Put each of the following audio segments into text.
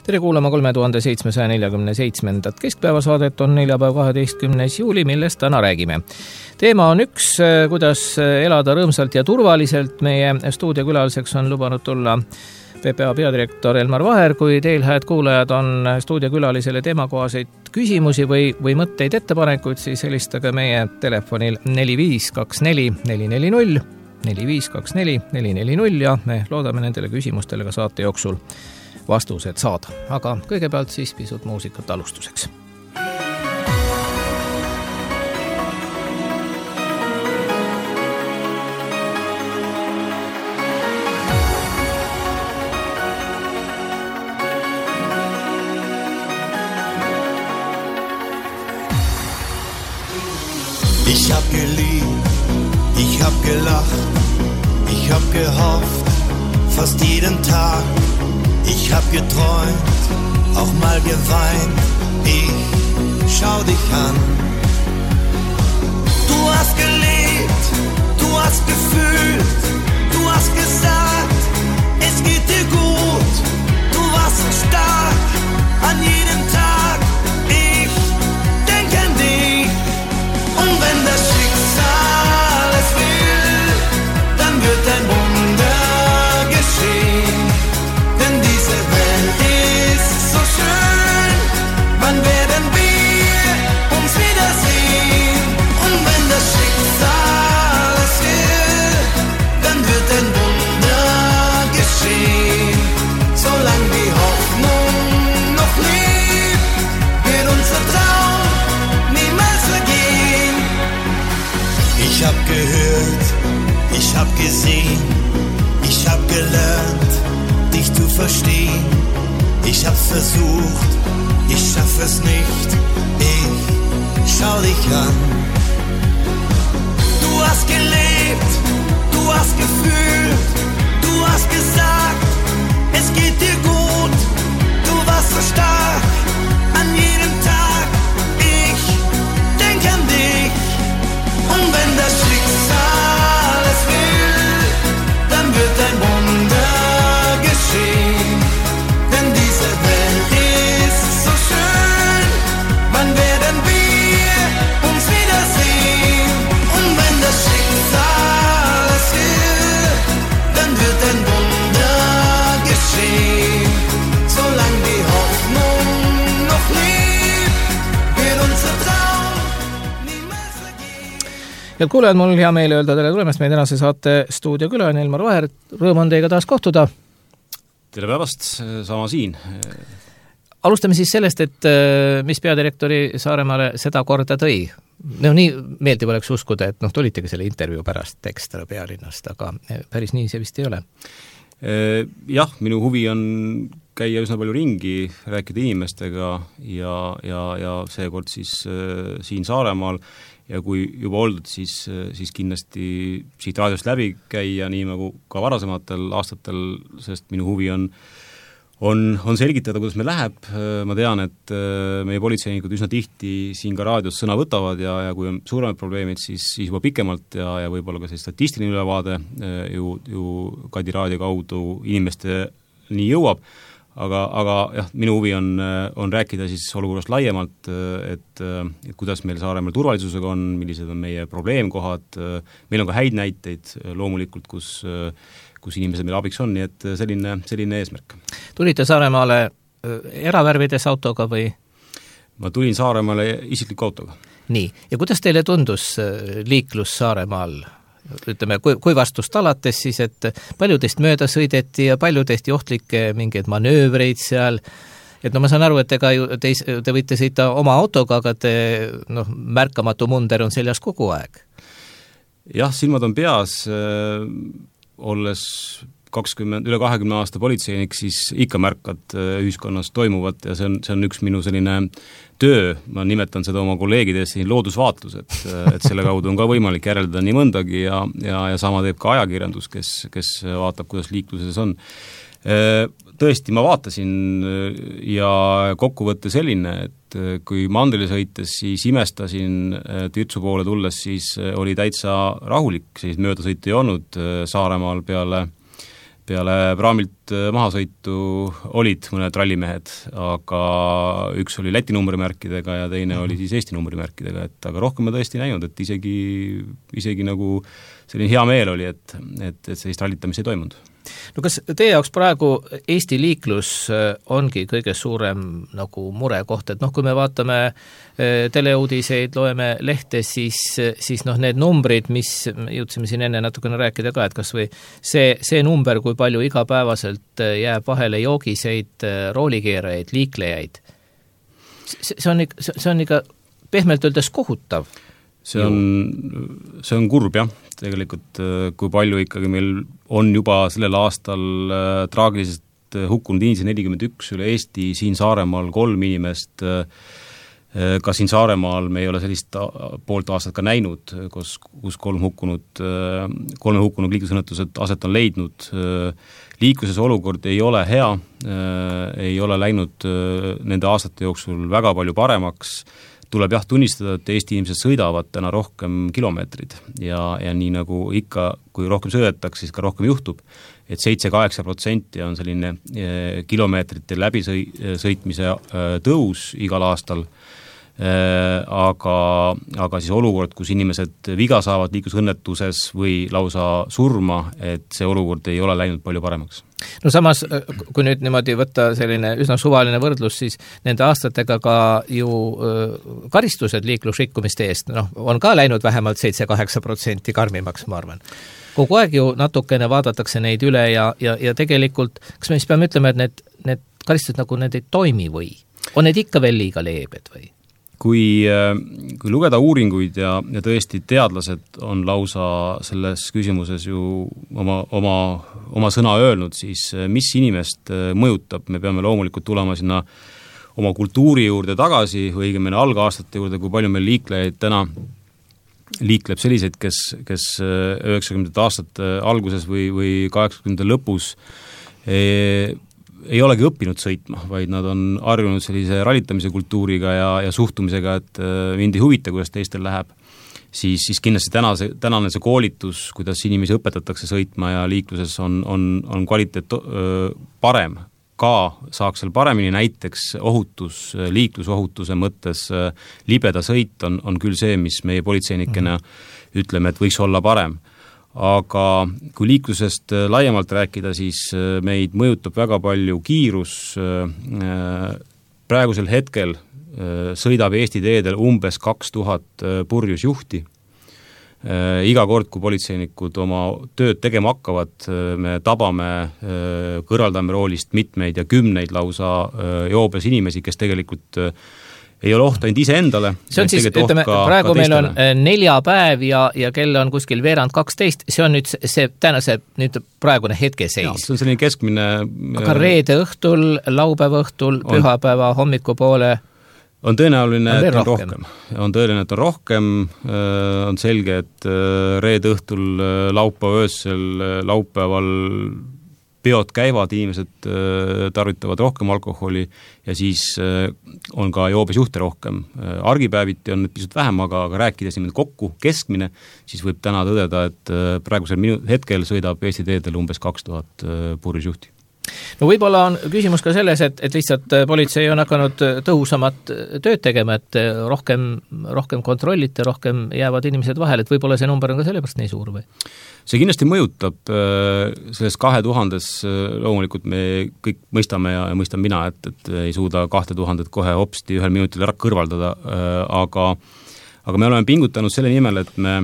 Tere kuulama 3747. Keskpäevasaadet on neljapäev 12. juuli, millest täna räägime. Teema on üks, kuidas elada rõõmsalt ja turvaliselt. Meie stuudiokülaliseks on lubanud tulla PPA peadirektor Elmar Vaher. Kui teil, hääd kuulajad, on stuudiokülalisele teemakohaseid küsimusi või mõtteid ettepanekuid, siis helistage meie telefonil 4524 440 4524 440 ja me loodame nendele küsimustele ka saate jooksul vastused saada. Aga kõigepealt siis pisut muusikat alustuseks. Ich hab geliebt, ich hab gelacht, ich hab gehofft, fast jeden Tag. Ich hab geträumt, auch mal geweint, ich schau dich an. Du hast gelebt, du hast gefühlt, du hast gesagt, es geht dir gut. Du warst so stark, an jedem Tag, ich denk an dich. Und wenn das Schicksal es will, dann wird ein Wunder geschehen. Denn diese Welt ist so schön, wann werden wir uns wiedersehen? Und wenn das Schicksal es will, dann wird ein Wunder geschehen. Solange die Hoffnung noch lebt, wird unser Traum niemals vergehen. Ich hab gehört, ich hab gesehen, ich hab gelernt, dich zu verstehen. Ich hab's versucht, ich schaff es nicht, ich schau dich an. Du hast gelebt, du hast gefühlt, du hast gesagt, es geht dir gut. Du warst so stark, an jedem Tag, ich denk an dich. Und wenn das Schicksal es will, dann wird ein Wunder geschehen. Denn diese Welt ist so schön, wann werden wir uns wiedersehen? Und wenn das Schicksal es will, dann wird ein Wunder geschehen. Solange die Hoffnung noch lebt, wird unser Traum niemals vergehen. Ja kuulajad, mul hea meel öelda tere tulemast meie tänase saate stuudiokülaline Elmar Vaher. Rõõm on teiega taas kohtuda. Tere päevast, sama siin. Alustame siis sellest, et mis peadirektori Saaremaale seda korda tõi. No nii meeldib oleks uskuda, et tulitegi selle intervjuu pärast ekstra pealinnast, aga päris nii see vist ei ole. Jah, minu huvi on käia üsna palju ringi, rääkida inimestega ja seekord siis siin Saaremaal ja kui juba oldud, siis kindlasti siit raadiost läbi käia, nii nagu ka varasematel aastatel, sest minu huvi on selgitada, kuidas meil läheb. Ma tean, et meie politseinikud üsna tihti siin ka raadios sõna võtavad ja kui on suuremad probleemid, siis juba pikemalt ja võib-olla ka see statistiline ülevaade ju Kadi raadio kaudu inimeste nii jõuab. Aga jah, minu huvi on rääkida siis olukorrast laiemalt, et kuidas meil Saaremaal turvalisusega on, millised on meie probleemkohad. Meil on ka häid näiteid loomulikult, kus inimesed meil abiks on, nii et selline eesmärk. Tulite Saaremaale eravärvides autoga või? Ma tulin Saaremaale isikliku autoga. Nii, ja kuidas teile tundus liiklus Saaremaal? Ütleme, kui vastust alates siis, et palju teist mööda sõideti ja palju tehti ohtlikke mingeid manöövreid seal. Et ma saan aru, et te võite sõita oma autoga, aga märkamatu munder on seljas kogu aeg. Jah, silmad on peas, olles üle 20 aasta politseinik, siis ikka märkad ühiskonnas toimuvat ja see on üks minu selline töö, ma nimetan seda oma kolleegidest siin loodusvaatlus, et selle kaudu on ka võimalik järeldada nii mõndagi ja sama teeb ka ajakirjandus, kes vaatab, kuidas liikluses on. Tõesti, ma vaatasin ja kokkuvõtte selline, et kui mandrile sõites, siis imestasin, Türtsu poole tulles, siis oli täitsa rahulik, siis möödasõitu ei olnud Saaremaal peale praamilt mahasõitu olid mõned rallimehed, aga üks oli Läti numbrimärkidega ja teine oli siis Eesti numbrimärkidega, et aga rohkem ma tõesti näinud, et isegi nagu selline hea meel oli, et sellist rallitamist ei toimunud. No kas teie jaoks praegu Eesti liiklus ongi kõige suurem nagu murekoht, et kui me vaatame teleuudiseid, loeme lehte, siis need numbrid, mis jõudsime siin enne natukene rääkida ka, et kas või see number, kui palju igapäevaselt jääb vahele joogiseid, roolikeerajaid, liiklejaid, see on ikka pehmelt öeldes kohutav. See on kurb, jah. Tegelikult kui palju ikkagi meil on juba sellel aastal traagiliselt hukkunud inimesi 41 üle Eesti, siin Saaremaal 3 inimest, ka siin Saaremaal me ei ole sellist poolt aastat ka näinud, kus 3 hukkunud liiklusõnnetused aset on leidnud. Liikluses olukord ei ole hea, ei ole läinud nende aastate jooksul väga palju paremaks. Tuleb jah tunnistada, et Eesti inimesed sõidavad täna rohkem kilomeetrid ja nii nagu ikka, kui rohkem sõidetakse, siis ka rohkem juhtub, et 7-8% on selline kilomeetrite läbisõitmise tõus igal aastal, aga siis olukord, kus inimesed viga saavad liiklusõnnetuses või lausa surma, et see olukord ei ole läinud palju paremaks. No samas, kui nüüd niimoodi võtta selline üsna suvaline võrdlus, siis nende aastatega ka ju karistused liiklusrikkumiste eest, on ka läinud vähemalt 7-8% karmimaks, ma arvan. Kogu aeg ju natukene vaadatakse neid üle ja tegelikult, kas me siis peame ütlema, et need karistused nagu need ei toimi või? On need ikka veel liiga leebed või? Kui lugeda uuringuid ja tõesti teadlased on lausa selles küsimuses ju oma sõna öelnud, siis mis inimest mõjutab, me peame loomulikult tulema sinna oma kultuuri juurde tagasi, või õigemini algaastate juurde, kui palju meil liiklejaid täna liikleb selliseid, kes 90. aastate alguses või 80. lõpus ei olegi õppinud sõitma, vaid nad on harjunud sellise rallitamise kultuuriga ja suhtumisega, et mind ei huvita, kuidas teistel läheb, siis kindlasti tänane see koolitus, kuidas inimesi õpetatakse sõitma ja liikluses on kvaliteet parem, ka saaks seal paremini, näiteks liiklusohutuse mõttes libeda sõit on küll see, mis meie politseinikena ütleme, et võiks olla parem. Aga kui liiklusest laiemalt rääkida, siis meid mõjutab väga palju kiirus. Praegusel hetkel sõidab Eesti teedel umbes 2000 purjusjuhti. Iga kord, kui politseinikud oma tööd tegema hakkavad, me tabame, kõrvaldame roolist mitmeid ja kümneid lausa joobes inimesi, kes tegelikult ei ole oht ainult iseendale. See on siis, ütleme, praegu meil on 4 päev ja kell on kuskil 11:12, see on nüüd see praegune hetkeseis. See on selline keskmine... Aga reede õhtul, laupäeva õhtul, pühapäeva hommikupoole on tõenäoline, et on rohkem. On tõenäoline, et on rohkem, on selge, et reede õhtul, laupäeva öösel, laupäeval peod käivad, inimesed tarvitavad rohkem alkoholi ja siis on ka joobes juhte rohkem. Argipäeviti on pisut vähem, aga rääkides kokku keskmine, siis võib täna tõdeda, et praegusel hetkel sõidab Eesti teedel umbes 2000 purjusjuhti. No võib-olla on küsimus ka selles, et lihtsalt politsei on hakanud tõhusamat tööd tegema, et rohkem kontrollite, rohkem jäävad inimesed vahel, et võib-olla see number on ka sellepärast nii suur või? See kindlasti mõjutab selles 2000 loomulikult me kõik mõistame ja mõistan mina, et ei suuda 2000 kohe hopsti ühel minutil ära kõrvaldada, aga me oleme pingutanud selle nimel, et me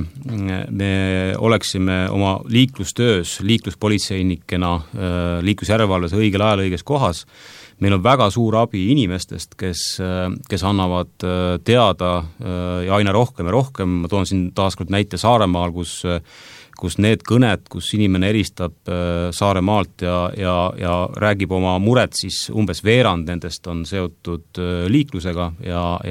oleksime oma liiklustöös, liikluspolitseinikena, liiklusjärelevalves õigel ajal õiges kohas. Meil on väga suur abi inimestest, kes annavad teada ja aina rohkem ja rohkem. Ma toon siin taaskord näite Saaremaal, kus need kõned, kus inimene eristab Saaremaalt ja räägib oma muret, siis umbes veerand nendest on seotud liiklusega ja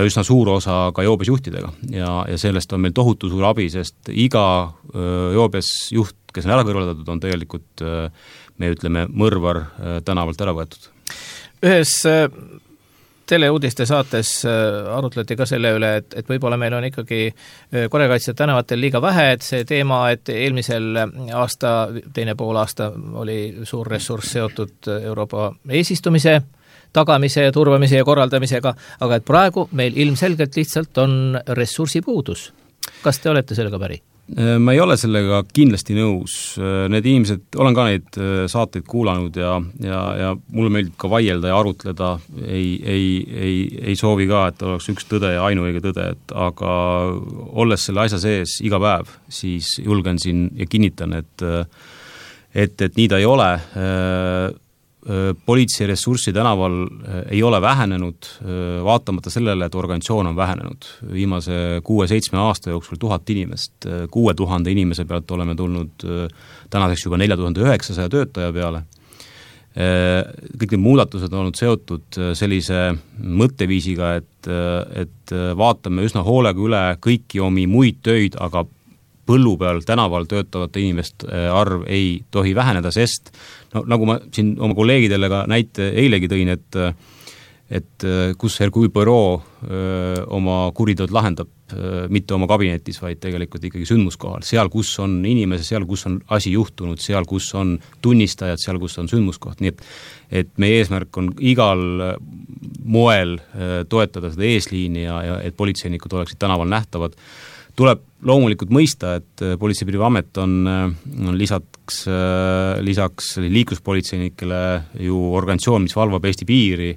üsna suur osa ka joobes juhtidega ja sellest on meil tohutu suur abi, sest iga joobes juht, kes on ära kõrvaldatud, on tegelikult, me ütleme, mõrvar tänavalt ära võetud. Ühes teleuudiste saates arutleti ka selle üle, et võib-olla meil on ikkagi korrakaitsjad tänavatel liiga vähe, et see teema, et eelmisel aasta, teine pool aasta oli suur ressurss seotud Euroopa eesistumise tagamise ja turvamise ja korraldamisega, aga et praegu meil ilmselgelt lihtsalt on ressursipuudus. Kas te olete sellega päri? Ma ei ole sellega kindlasti nõus. Need inimesed, olen ka neid saateid kuulanud ja mulle meeldib ka vaielda ja arutleda, ei soovi ka, et oleks üks tõde ja ainuõige tõde, aga olles selle asja sees iga päev, siis julgen siin ja kinnitan, et nii ta ei ole. Politsei ressurssi tänaval ei ole vähenenud, vaatamata sellele, et organisatsioon on vähenenud. Viimase 6-7 aasta jooksul 1000 inimest, 6000 inimese pealt oleme tulnud tänaseks juba 4900 töötaja peale. Kõik need muudatused on olnud seotud sellise mõtteviisiga, et vaatame üsna hoolega üle kõiki omi muid töid, aga põllu peal tänaval töötavate inimeste arv ei tohi väheneda, sest nagu ma siin oma kolleegidele ka näite eilegi tõin, et kus Hercule Poirot oma kuriteod lahendab, mitte oma kabinetis, vaid tegelikult ikkagi sündmuskohal, seal, kus on inimese, seal, kus on asi juhtunud, seal, kus on tunnistajad, seal, kus on sündmuskoht, nii et meie eesmärk on igal moel toetada seda eesliini ja et politseinikud oleksid tänaval nähtavad. Tuleb loomulikult mõista, et Politsei- ja Piirivalveamet on lisaks liikluspolitseinikele ju organisatsioon, mis valvab Eesti piiri,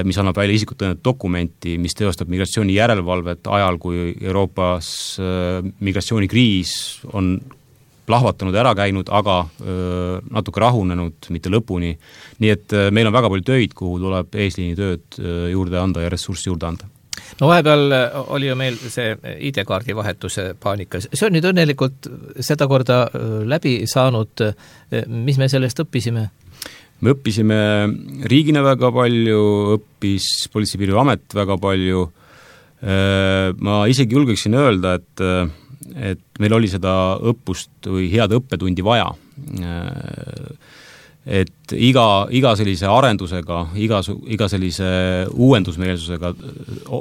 mis annab välja isikut tõendavat dokumenti, mis teostab migratsiooni järelevalvet ajal, kui Euroopas migratsioonikriis on plahvatanud ära käinud, aga natuke rahunenud, mitte lõpuni. Nii et meil on väga palju töid, kuhu tuleb eesliini tööd juurde anda ja ressurssi juurde anda. No vahepeal oli ju meil see ID-kaardi vahetuse paanika. See on nüüd õnnelikult seda korda läbi saanud. Mis me sellest õppisime? Me õppisime riigina väga palju, õppis Politsei- ja Piirivalveamet väga palju. Ma isegi julgeksin öelda, et meil oli seda õppust või head õppetundi vaja. Et iga sellise arendusega, iga sellise uuendusmeelsusega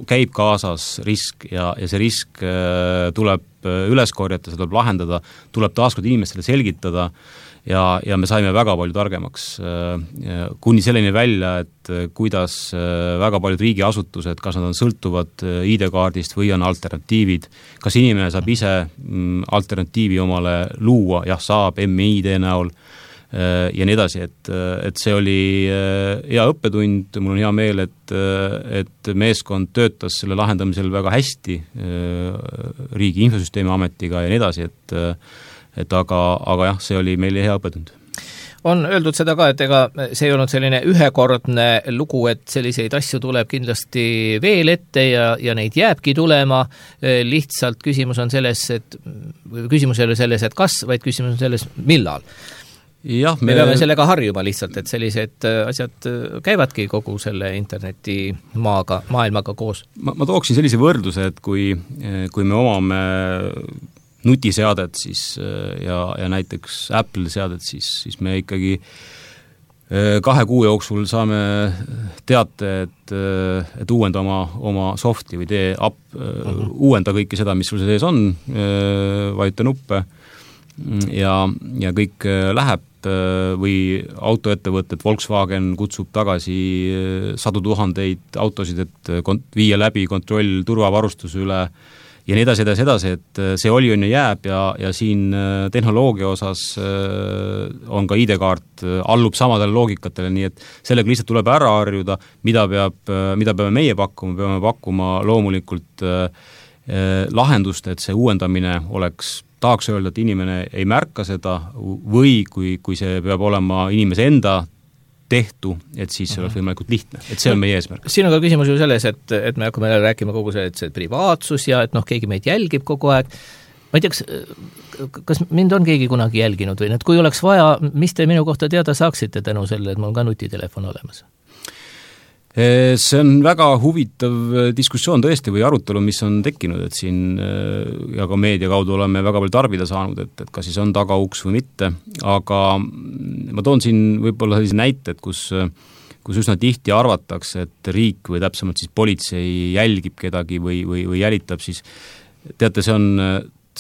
käib kaasas risk ja see risk tuleb üles korjata, see tuleb lahendada, tuleb taaskord inimestele selgitada ja me saime väga palju targemaks kuni selleni välja, et kuidas väga paljud riigiasutused, kas nad on sõltuvad ID-kaardist või on alternatiivid, kas inimene saab ise alternatiivi omale luua, jah saab MID näol, ja nii edasi, et see oli hea õppetund, mul on hea meel, et meeskond töötas selle lahendamisel väga hästi riigi infosüsteemi ametiga ja nii edasi, et aga jah, see oli meile hea õppetund. On öeldud seda ka, et ega see ei olnud selline ühekordne lugu, et selliseid asju tuleb kindlasti veel ette ja neid jääbki tulema, lihtsalt küsimus on selles, et küsimus ei ole selles, et kas, vaid küsimus on selles, millal. Jah, me peame sellega harjuma lihtsalt, et sellised asjad käivadki kogu selle interneti maailmaga koos. Ma tooksin sellise võrdluse, et kui me omame nutiseadet siis, ja näiteks Apple seadet, siis me ikkagi 2 kuu jooksul saame teate, et uuenda oma softi või tee app, uuenda kõike seda, mis sul sees on, vajuta nuppe ja kõik läheb või autoettevõtted, Volkswagen kutsub tagasi 100,000 autosid, et viia läbi kontroll turvavarustuse üle ja nii edasi, et see oli on ja jääb ja siin tehnoloogia osas on ka ID-kaart, allub samadele loogikatele, nii et sellega lihtsalt tuleb ära harjuda, mida peame meie pakkuma, peame pakkuma loomulikult lahendust, et see uuendamine oleks, tahaks öelda, et inimene ei märka seda või kui see peab olema inimese enda tehtu, et siis see oleks võimalikult lihtne, et see on meie eesmärk. Siin on ka küsimus ju selles, et me hakkame rääkima kogu see privaatsus ja et keegi meid jälgib kogu aeg. Ma ei tea, kas mind on keegi kunagi jälginud või et kui oleks vaja, mis te minu kohta teada saaksite tänu selle, et mul on ka nutitelefon olemas? See on väga huvitav diskussioon tõesti või arutelu, mis on tekkinud, et siin ja ka meedia kaudu oleme väga palju tarbida saanud, et kas siis on tagauks või mitte, aga ma toon siin võib-olla sellise näite, et kus kus üsna tihti arvatakse, et riik või täpsemalt siis politsei jälgib kedagi või jälitab, siis teate, see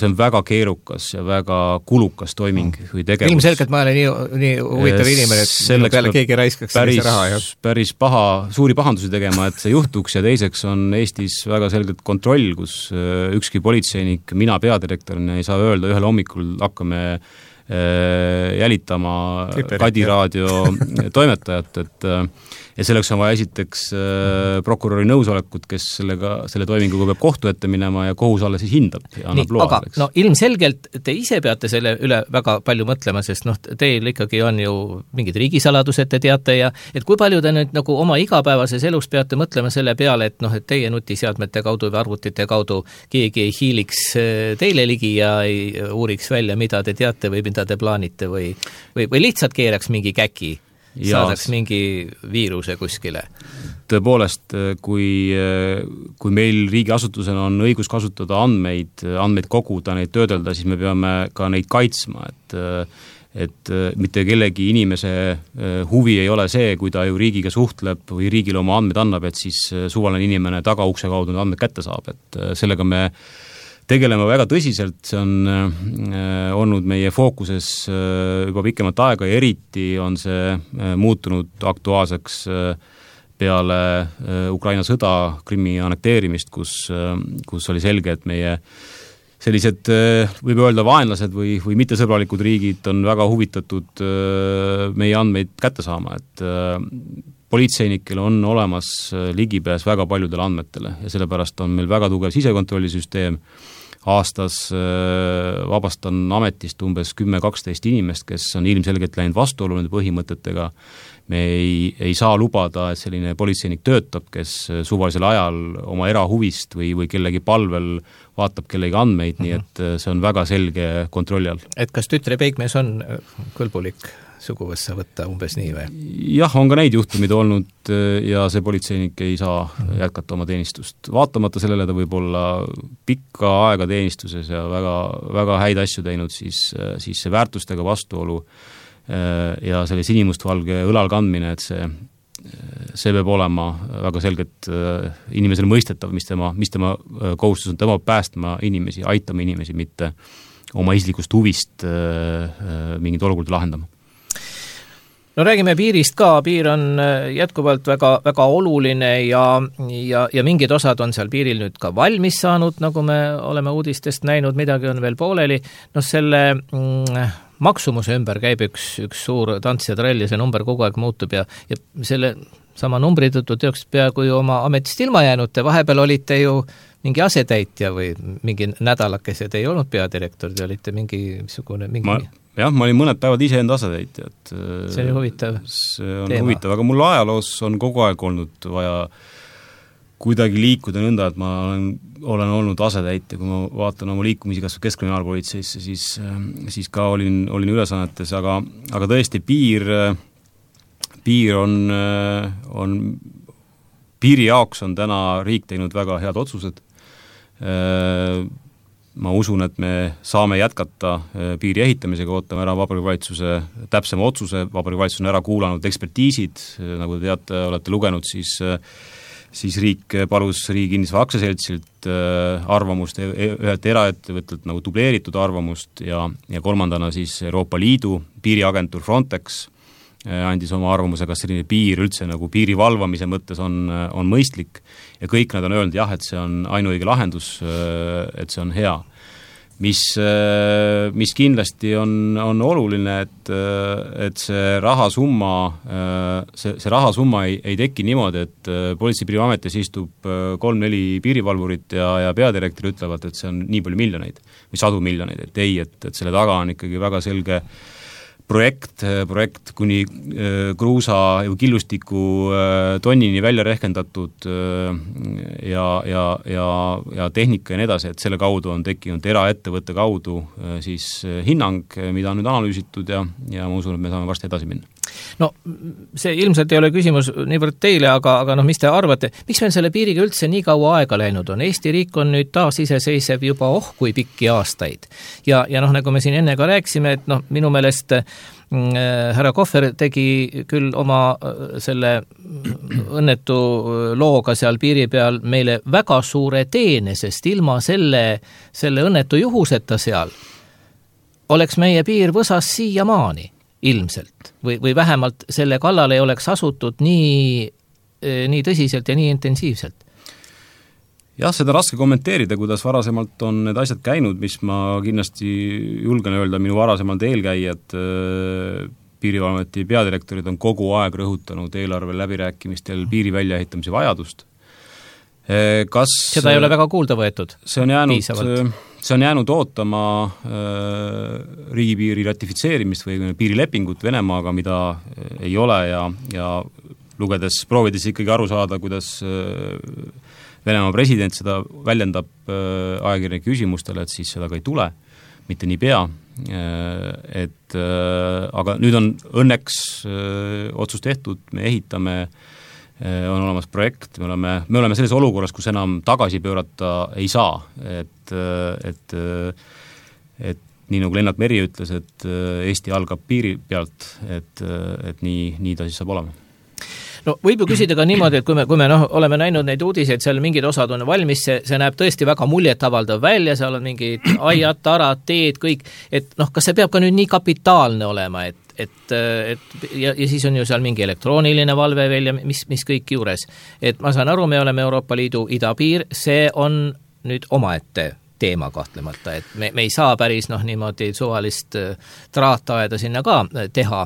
on väga keerukas ja väga kulukas toiming või tegevus. Ilmselgelt ma olen nii huvitav inimene, et minu peale keegi raiskaks sellise raha. Päris suuri pahandusi tegema, et see juhtuks ja teiseks on Eestis väga selgelt kontroll, kus ükski politseinik, mina peadirektorina ei saa öelda ühel hommikul hakkame jälitama Kadi raadio toimetajat, ja selleks on vaja esiteks prokuröri nõusolekut, kes selle toiminguga peab kohtu ette minema ja kohus alles siis hindab ja annab loa. Aga no, ilmselgelt te ise peate selle üle väga palju mõtlema, sest teil ikkagi on ju mingid riigisaladused, te teate, ja et kui palju te nüüd nagu oma igapäevases elus peate mõtlema selle peale, et et teie nutiseadmete kaudu või arvutite kaudu keegi ei hiiliks teile ligi ja ei uuriks välja, mida te teate või mida te plaanite või lihtsalt keeraks mingi käki, saadaks mingi viiruse kuskile. Tõepoolest, kui meil riigiasutusena on õigus kasutada andmeid koguda, neid töödelda, siis me peame ka neid kaitsma, et mitte kellegi inimese huvi ei ole see, kui ta ju riigiga suhtleb või riigile oma andmeid annab, et siis suvaline inimene tagaukse kaudu need andmeid kätte saab, et sellega me tegeleme väga tõsiselt, see on olnud meie fookuses juba pikemat aega ja eriti on see muutunud aktuaalseks peale Ukraina sõda, Krimmi annekteerimist, kus oli selge, et meie sellised, võib öelda, vaenlased või mittesõbralikud riigid on väga huvitatud meie andmeid kätte saama, et politseinikel on olemas ligipääs väga paljudele andmetele ja sellepärast on meil väga tugev sisekontrollisüsteem. Aastas vabastan ametist umbes 10-12 inimest, kes on ilmselgelt läinud vastuolu nende põhimõtetega. Me ei saa lubada, et selline politseinik töötab, kes suvalisel ajal oma erahuvist või kellegi palvel vaatab kellegi andmeid, nii et see on väga selge kontrolli all. Et kas tütre peigmees on kõlbulik suguvõssa võtta umbes nii või? Jah, on ka neid juhtumid olnud ja see politseinik ei saa jätkata oma teenistust. Vaatamata sellele ta võib olla pikka aega teenistuses ja väga, väga häid asju teinud, siis see väärtustega vastuolu ja selle sinimustvalge õlal kandmine, et see peab olema väga selgelt inimesele mõistetav, mis tema kohustus on, tema päästma inimesi, aitama inimesi, mitte oma isiklikust huvist mingid olukorda lahendama. No räägime piirist ka, piir on jätkuvalt väga, väga oluline ja mingid osad on seal piiril nüüd ka valmis saanud, nagu me oleme uudistest näinud, midagi on veel pooleli. Selle maksumuse ümber käib üks suur tants ja trall ja see number kogu aeg muutub ja selle sama numbri tõttu teoks peaaegu ju oma ametist ilma jäänud, te vahepeal olite ju mingi asetäitja või mingi nädalakese, te ei olnud peadirektor, te olite Jah, ma olin mõned päevad ise enda asetäitja. See oli huvitav teema. Huvitav, aga mul ajaloos on kogu aeg olnud vaja kuidagi liikuda nõnda, et ma olen olnud asetäitja, kui ma vaatan oma liikumisi kas Keskkriminaalpolitseisse, siis ka olin ülesannetes, aga tõesti piiri jaoks on täna riik teinud väga head otsused. Ma usun, et me saame jätkata piiri ehitamisega, ootame ära Vabariigi Valitsuse täpsema otsuse, Vabariigi Valitsus on ära kuulanud ekspertiisid, nagu te teate, olete lugenud, siis riik palus Riigi Kinnisvara Aktsiaseltsilt arvamust, ühelt eraettevõttelt nagu dubleeritud arvamust ja kolmandana siis Euroopa Liidu piiriagentuur Frontex andis oma arvamuse, kas selline piir üldse nagu piiri valvamise mõttes on mõistlik ja kõik nad on öelnud jah, et see on ainuõige lahendus, et see on hea. Mis kindlasti on oluline, et see rahasumma ei teki niimoodi, et Politsei- ja Piirivalveametis istub 3-4 piirivalvurit ja peadirektor ütlevad, et see on nii palju miljoneid või sadu miljoneid, et ei, et selle taga on ikkagi väga selge projekt kuni kruusa või killustiku tonnini välja rehkendatud ja tehnika ja nii edasi, et selle kaudu on tekkinud eraettevõtte kaudu siis hinnang, mida on nüüd analüüsitud ja ma usun, et me saame varsti edasi minna. No see ilmselt ei ole küsimus niivõrd teile, aga mis te arvate, miks meil selle piiriga üldse nii kaua aega läinud on? Eesti riik on nüüd taas iseseisev juba kui pikki aastaid. Ja nagu me siin enne ka rääkisime, et minu meelest härra Kohver tegi küll oma selle õnnetu looga seal piiri peal meile väga suure teene, sest ilma selle õnnetu juhuseta seal oleks meie piir võsas siiamaani ilmselt või vähemalt selle kallal ei oleks asutud nii tõsiselt ja nii intensiivselt. Jah, seda raske kommenteerida, kuidas varasemalt on need asjad käinud, mis ma kindlasti julgen öelda, minu varasemalt eelkäijad, piirivalvameti peadirektorid on kogu aeg rõhutanud eelarve läbirääkimistel piiri väljaehitamise vajadust. Seda ei ole väga kuulda võetud? See on jäänud ootama riigipiiri ratifitseerimist või piirilepingut Venemaaga, mida ei ole ja proovides ikkagi aru saada, kuidas Venemaa president seda väljendab ajakirjanike küsimustele, et siis seda ka ei tule, mitte nii pea. Aga nüüd on õnneks otsus tehtud, me ehitame, on olemas projekt, me oleme selles olukorras, kus enam tagasi pöörata ei saa, et nii nagu Lennart Meri ütles, et Eesti algab piiri pealt, et nii ta siis saab olema. No võib ju küsida ka niimoodi, et kui me oleme näinud neid uudiseid, seal mingid osad on valmis, see näeb tõesti väga muljet avaldav välja, seal on mingid aiad, tarad, teed, kõik, et kas see peab ka nüüd nii kapitaalne olema, ja siis on ju seal mingi elektrooniline valve veel ja mis kõik juures. Et ma saan aru, me oleme Euroopa Liidu idapiir, see on nüüd omaette teema kahtlemata, et me ei saa päris niimoodi suvalist traataeda sinna ka teha,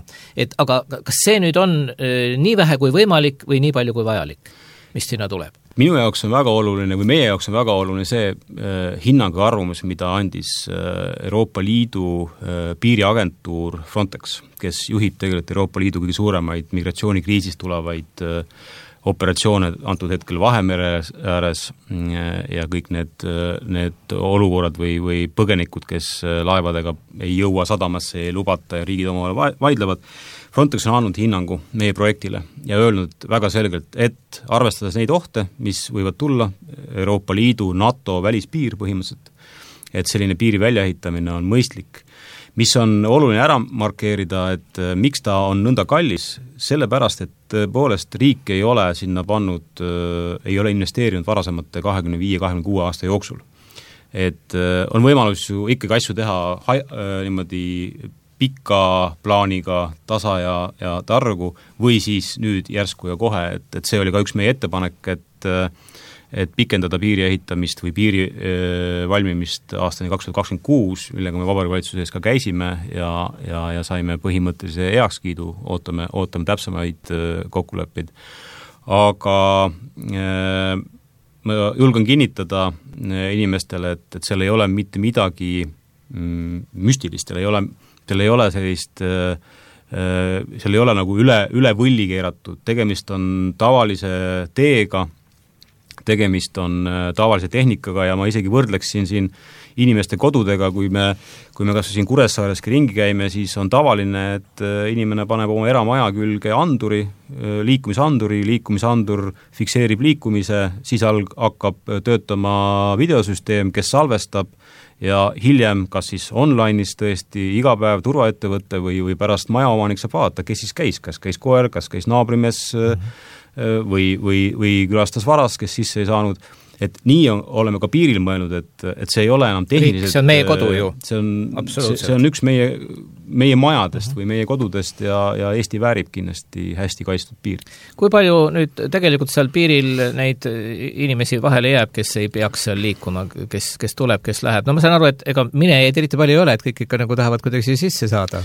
aga kas see nüüd on nii vähe kui võimalik või nii palju kui vajalik, mis sinna tuleb? Minu jaoks on väga oluline või meie jaoks on väga oluline see hinnang ja arvamus, mida andis Euroopa Liidu piiriagentuur Frontex, kes juhib tegelikult Euroopa Liidu kõige suuremaid migratsioonikriisist tulevaid operatsioone antud hetkel Vahemere ääres ja kõik need olukorrad või põgenikud, kes laevadega ei jõua sadamasse, ei lubata ja riigid omavahel vaidlevad. Frontex on andnud hinnangu meie projektile ja öelnud väga selgelt, et arvestades neid ohte, mis võivad tulla Euroopa Liidu, NATO välispiir põhimõtteliselt, et selline piiri väljaehitamine on mõistlik. Mis on oluline ära markeerida, et miks ta on nõnda kallis, sellepärast, et tõepoolest riik ei ole sinna pannud, ei ole investeerinud varasemate 25-26 aasta jooksul. Et on võimalus ju ikkagi asju teha niimoodi pika plaaniga, tasa ja targu või siis nüüd järsku ja kohe, et see oli ka üks meie ettepanek, et pikendada piiri ehitamist või piiri valmimist aastani 2026, millega me Vabariigi Valitsuse ees ka käisime ja saime põhimõttelise heakskiidu, ootame täpsemaid kokkuleppeid. Aga ma julgen kinnitada inimestele, et seal ei ole mitte midagi müstilist, teil ei ole sellist seal ei ole nagu üle võlli keeratud, tegemist on tavalise teega, tegemist on tavalise tehnikaga ja ma isegi võrdleksin siin inimeste kodudega, kui me kas siin Kuressaareski ringi käime, siis on tavaline, et inimene paneb oma eramaja külge liikumisandur fikseerib liikumise, siis hakkab töötama videosüsteem, kes salvestab ja hiljem, kas siis online'is tõesti iga päev turvaettevõtte või pärast majaomanik saab vaadata, kes siis käis, kas käis koer, kas käis naabrimees või külastas varas, kes sisse ei saanud, et nii oleme ka piiril mõelnud, et see ei ole enam tehniliselt. See on meie kodu ju. See on üks meie majadest või meie kodudest ja Eesti väärib kindlasti hästi kaitstud piir. Kui palju nüüd tegelikult seal piiril neid inimesi vahele jääb, kes ei peaks seal liikuma, kes tuleb, kes läheb? No ma saan aru, et ega minejaid eriti palju ei ole, et kõik ikka nagu tahavad kuidagi sisse saada.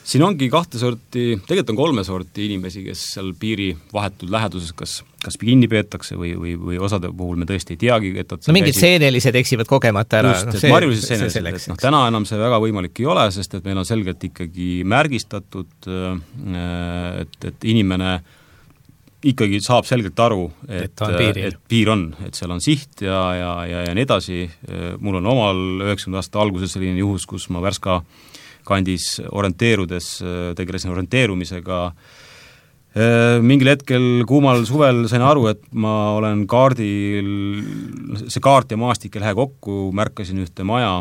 Siin ongi 2 sorti, tegelikult on 3 sorti inimesi, kes seal piiri vahetud läheduses kas kinni peetakse või osade puhul me tõesti ei teagi, et no mingid seenelised eksivad kogemata ära. Just, marjulised seenelised, täna enam see väga võimalik ei ole, sest et meil on selgelt ikkagi märgistatud, et inimene ikkagi saab selgelt aru, et piir on, et seal on siht ja nii edasi. Mul on omal 90 aasta alguses selline juhus, kus ma Värska kandis orienteerudes, tegelesin orienteerumisega. Mingil hetkel kuumal suvel sain aru, et ma olen kaardil, see kaart ja maastik ei lähe kokku, märkasin ühte maja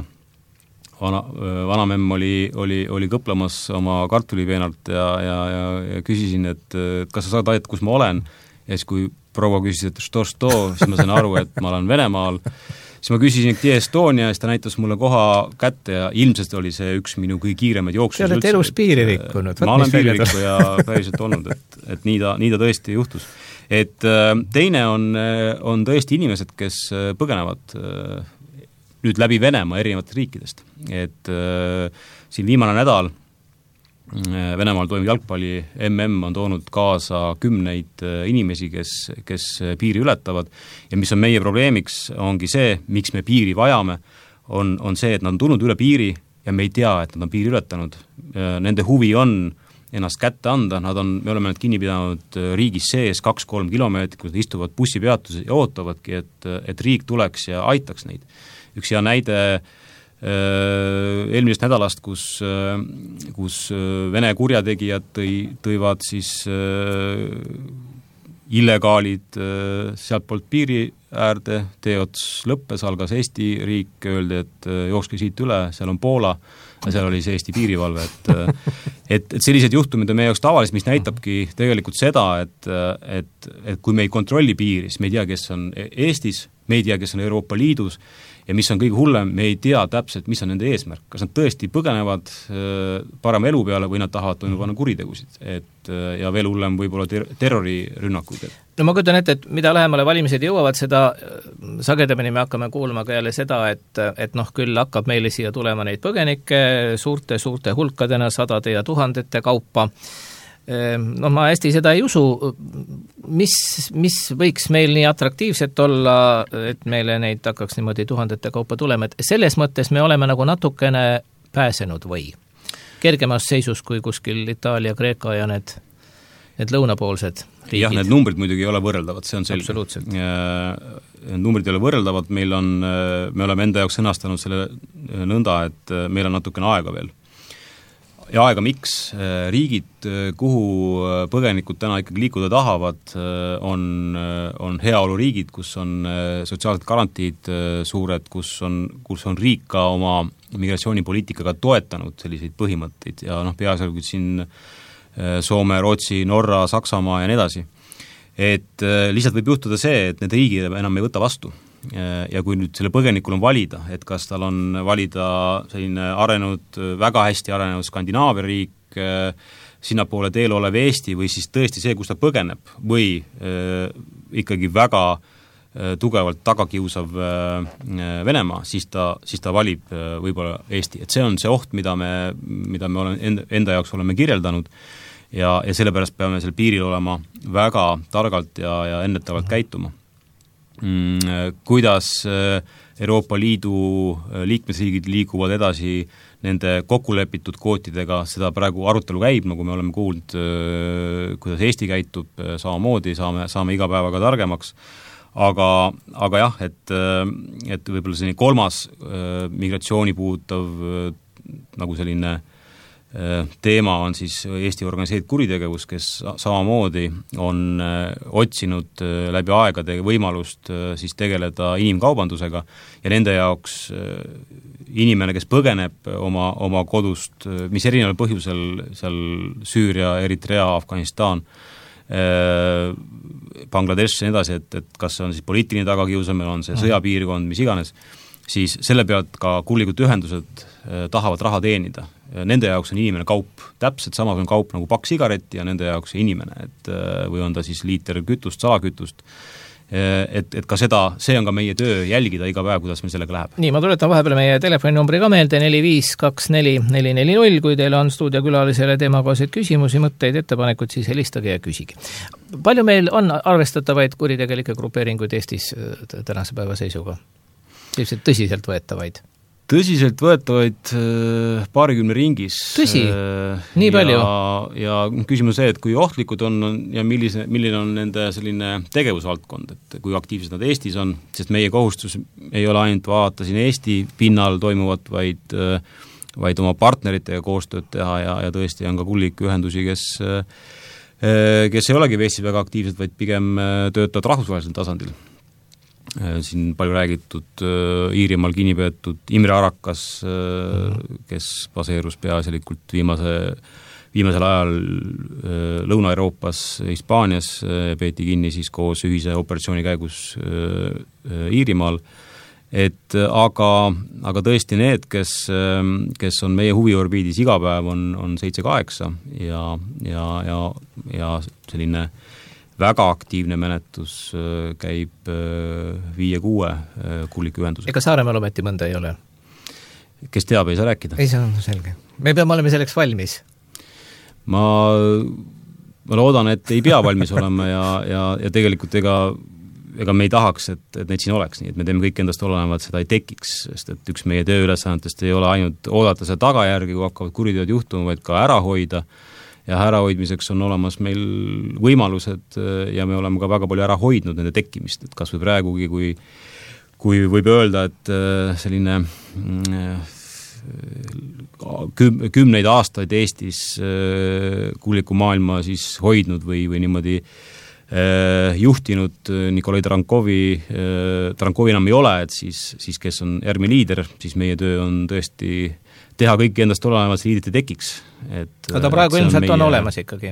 vanamemm oli kõplamas oma kartulipeenalt ja küsisin, et kas sa saad aidata, kus ma olen, ja siis kui proua küsis, et što, siis ma sain aru, et ma olen Venemaal, siis ma küsisin Tie Estonia ja siis ta näitas mulle koha kätte ja ilmselt oli see üks minu kõige kiiremaid jooksus. Te olete elus piiri rikkunud. Ma olen piiririkku ja päriselt olnud, et nii ta tõesti juhtus. Et teine on tõesti inimesed, kes põgenevad nüüd läbi Venemaa erinevatest riikidest. Et siin viimane nädal Venemaal toimub jalgpalli MM on toonud kaasa 10 inimesi, kes piiri ületavad ja mis on meie probleemiks, ongi see, miks me piiri vajame, on see, et nad on tulnud üle piiri ja me ei tea, et nad on piiri ületanud. Nende huvi on ennast kätte anda, me oleme nad kinni pidanud riigis sees 2-3 kilomeetrit, kus nad istuvad bussipeatuses ja ootavadki, et riik tuleks ja aitaks neid. Üks hea näide eelmisest nädalast, kus Vene kurjategijad tõivad siis illegaalid sealt poolt piiri äärde, teots lõppes, algas Eesti riik, öeldi, et jookske siit üle, seal on Poola ja seal oli see Eesti piirivalve, et sellised juhtumid on meie jaoks tavalised, mis näitabki tegelikult seda, et kui me ei kontrolli piiri, siis me ei tea, kes on Eestis, me ei tea, kes on Euroopa Liidus ja mis on kõige hullem, me ei tea täpselt, mis on nende eesmärk. Kas nad tõesti põgenevad parema elu peale või nad tahavad toime panna kuritegusid. Ja veel hullem võib-olla terrorirünnakuid. No ma kujutan ette, et mida lähemale valimised jõuavad, seda sagedamini me hakkame kuulma ka jälle seda, et küll hakkab meile siia tulema neid põgenikke suurte hulkadena, 100 ja 1000 kaupa. Ma hästi seda ei usu, mis võiks meil nii atraktiivset olla, et meile neid hakkaks niimoodi 1000 kaupa tulema, et selles mõttes me oleme nagu natukene pääsenud või kergemas seisus kui kuskil Itaalia, Kreeka ja need lõunapoolsed riigid. Jah, need numbrid muidugi ei ole võrreldavad, see on selge. Absoluutselt. Numbrid ei ole võrreldavad, me oleme enda jaoks sõnastanud selle nõnda, et meil on natukene aega veel. Ja aega miks? Riigid, kuhu põgenikud täna ikkagi liikuda tahavad, on heaoluriigid, kus on sotsiaalsed garantiid suured, kus on riik ka oma migratsioonipoliitikaga toetanud selliseid põhimõtteid ja peaasjalikult siin Soome, Rootsi, Norra, Saksamaa ja nii edasi. Et lihtsalt võib juhtuda see, et need riigid enam ei võta vastu. Ja kui nüüd selle põgenikul on valida, et kas tal on valida selline väga hästi arenenud Skandinaavia riik, sinnapoole teel olev Eesti või siis tõesti see, kus ta põgeneb või ikkagi väga tugevalt tagakiusav Venemaa, siis ta valib võib-olla Eesti. Et see on see oht, mida me enda jaoks oleme kirjeldanud ja sellepärast peame seal piiril olema väga targalt ja ennetavalt käituma. Kuidas Euroopa Liidu liikmesriigid liiguvad edasi nende kokkulepitud kvootidega, seda praegu arutelu käib, nagu me oleme kuulnud, kuidas Eesti käitub, samamoodi saame iga päevaga targemaks, aga jah, et võib-olla selline kolmas migratsiooni puudutav nagu selline teema on siis Eesti organiseeritud kuritegevus, kes samamoodi on otsinud läbi aegade võimalust siis tegeleda inimkaubandusega ja nende jaoks inimene, kes põgeneb oma kodust, mis erineval põhjusel seal Süüria, Eritrea, Afganistan, Bangladesh ja nii edasi, et kas see on siis poliitiline tagakiusamine, on see sõjapiirkond, mis iganes, siis selle pealt ka kullikud ühendused tahavad raha teenida. Nende jaoks on inimene kaup, täpselt samasugune kaup nagu pakk sigaretti ja nende jaoks inimene, või on ta siis liiter kütust, salakütust, et ka see on ka meie töö jälgida iga päev, kuidas meil sellega läheb. Nii, ma tuletan vahepeal meie telefoninumbri ka meelde 4524440, kui teil on stuudiokülalisele teemakohaseid küsimusi, mõtteid, ettepanekuid, siis helistage ja küsige. Palju meil on arvestatavaid kuritegelikke grupeeringuid Eestis tänase päeva seisuga? Selliselt tõsiselt võetavaid? Tõsiselt võetavaid paarikümne ringis. Tõsi? Nii palju? Ja küsimus see, et kui ohtlikud on ja milline on nende selline tegevusvaldkond, et kui aktiivsed nad Eestis on, sest meie kohustus ei ole ainult vaadata siin Eesti pinnal toimuvat, vaid oma partneritega koostööd teha ja tõesti on ka kullik ühendusi, kes ei olegi Eestis väga aktiivsed, vaid pigem töötavad rahvusvahelisel tasandil. siin palju räägitud Iirimaal kinni peetud Imre Arakas, kes baseerus peaasjalikult viimasel ajal Lõuna-Euroopas, Hispaanias, peeti kinni siis koos ühise operatsiooni käigus Iirimaal, aga tõesti need, kes on meie huviorbiidis iga päev, on 7-8 ja selline väga aktiivne menetlus käib 5-6 kuulikühendusega. Ega Saaremaal ometi mõnda ei ole? Kes teab, ei saa rääkida. Ei saa, selge. Me peame olema selleks valmis. Ma loodan, et ei pea valmis olema ja tegelikult ega me ei tahaks, et neid siin oleks, nii et me teeme kõik endast olenevat, seda ei tekiks, sest et üks meie tööülesannetest ei ole ainult oodata seda tagajärgi, kui hakkavad kuriteod juhtuma, vaid ka ära hoida. Ja ärahoidmiseks on olemas meil võimalused ja me oleme ka väga palju ära hoidnud nende tekkimist, et kas või praegugi, kui võib öelda, et selline kümneid aastaid Eestis kuuliku maailma siis hoidnud või niimoodi juhtinud Nikolai Tarankovi enam ei ole, et siis kes on ERM-i liider, siis meie töö on tõesti teha kõik endast olenevat liidrit ei tekiks. Aga praegu ilmselt on olemas ikkagi.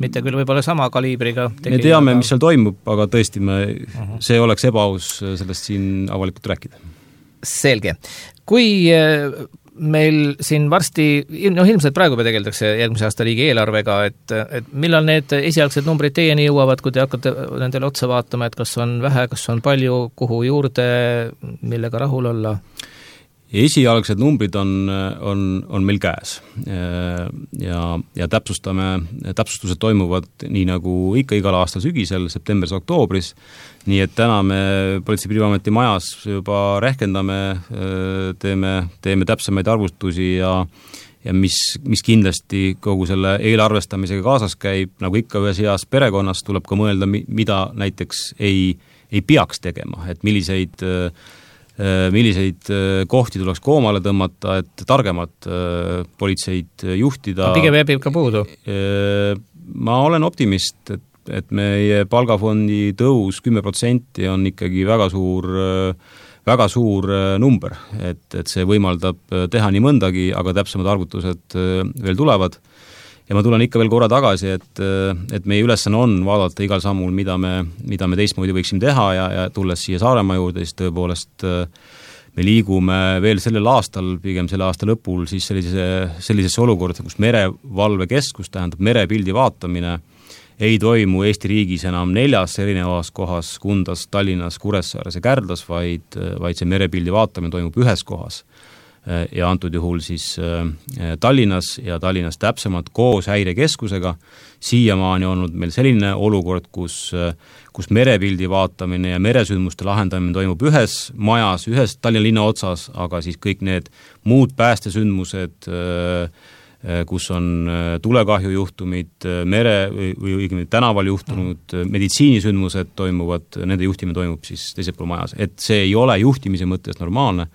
Mitte küll võib-olla sama kaliibriga. Me teame, mis seal toimub, aga tõesti see oleks ebaaus sellest siin avalikult rääkida. Selge. Kui meil siin varsti, ilmselt praegu tegeldakse järgmise aasta riigi eelarvega, et millal need esialgsed numbrid teieni jõuavad, kui te hakkate nendele otsa vaatama, et kas on vähe, kas on palju, kuhu juurde, millega rahul olla? Esialgsed numbrid on meil käes ja täpsustused toimuvad nii nagu ikka igal aastal sügisel, septembris, oktoobris, nii et täna me Politsei- ja Piirivalveameti majas juba rehkendame, teeme täpsemaid arvustusi ja mis kindlasti kogu selle eelarvestamisega kaasas käib, nagu ikka ühes heas perekonnas tuleb ka mõelda, mida näiteks ei peaks tegema, et milliseid kohti tuleks koomale tõmmata, et targemad politseid juhtida. Pigem jääb ka puudu. Ma olen optimist, et meie palgafondi tõus 10% on ikkagi väga suur number, et see võimaldab teha nii mõndagi, aga täpsemad arvutused veel tulevad. Ja ma tulen ikka veel korra tagasi, et meie ülesanne on vaadata igal sammul, mida me teistmoodi võiksime teha ja tulles siia Saaremaa juurde, siis tõepoolest me liigume veel sellel aastal, pigem selle aasta lõpul, siis sellisesse olukorda, kus merevalvekeskus, tähendab merepildi vaatamine, ei toimu Eesti riigis enam 4 erinevas kohas, Kundas, Tallinnas, Kuressaares ja Kärdlas, vaid see merepildi vaatamine toimub ühes kohas. Ja antud juhul siis Tallinnas ja Tallinnas täpsemalt koos häirekeskusega. Siiamaani on olnud meil selline olukord, kus merepildi vaatamine ja meresündmuste lahendamine toimub ühes majas, ühes Tallinna linna otsas, aga siis kõik need muud päästesündmused, kus on tulekahju juhtumid, või tänaval juhtunud meditsiinisündmused toimuvad, nende juhtimine toimub siis teisel pool majas. Et see ei ole juhtimise mõttes normaalne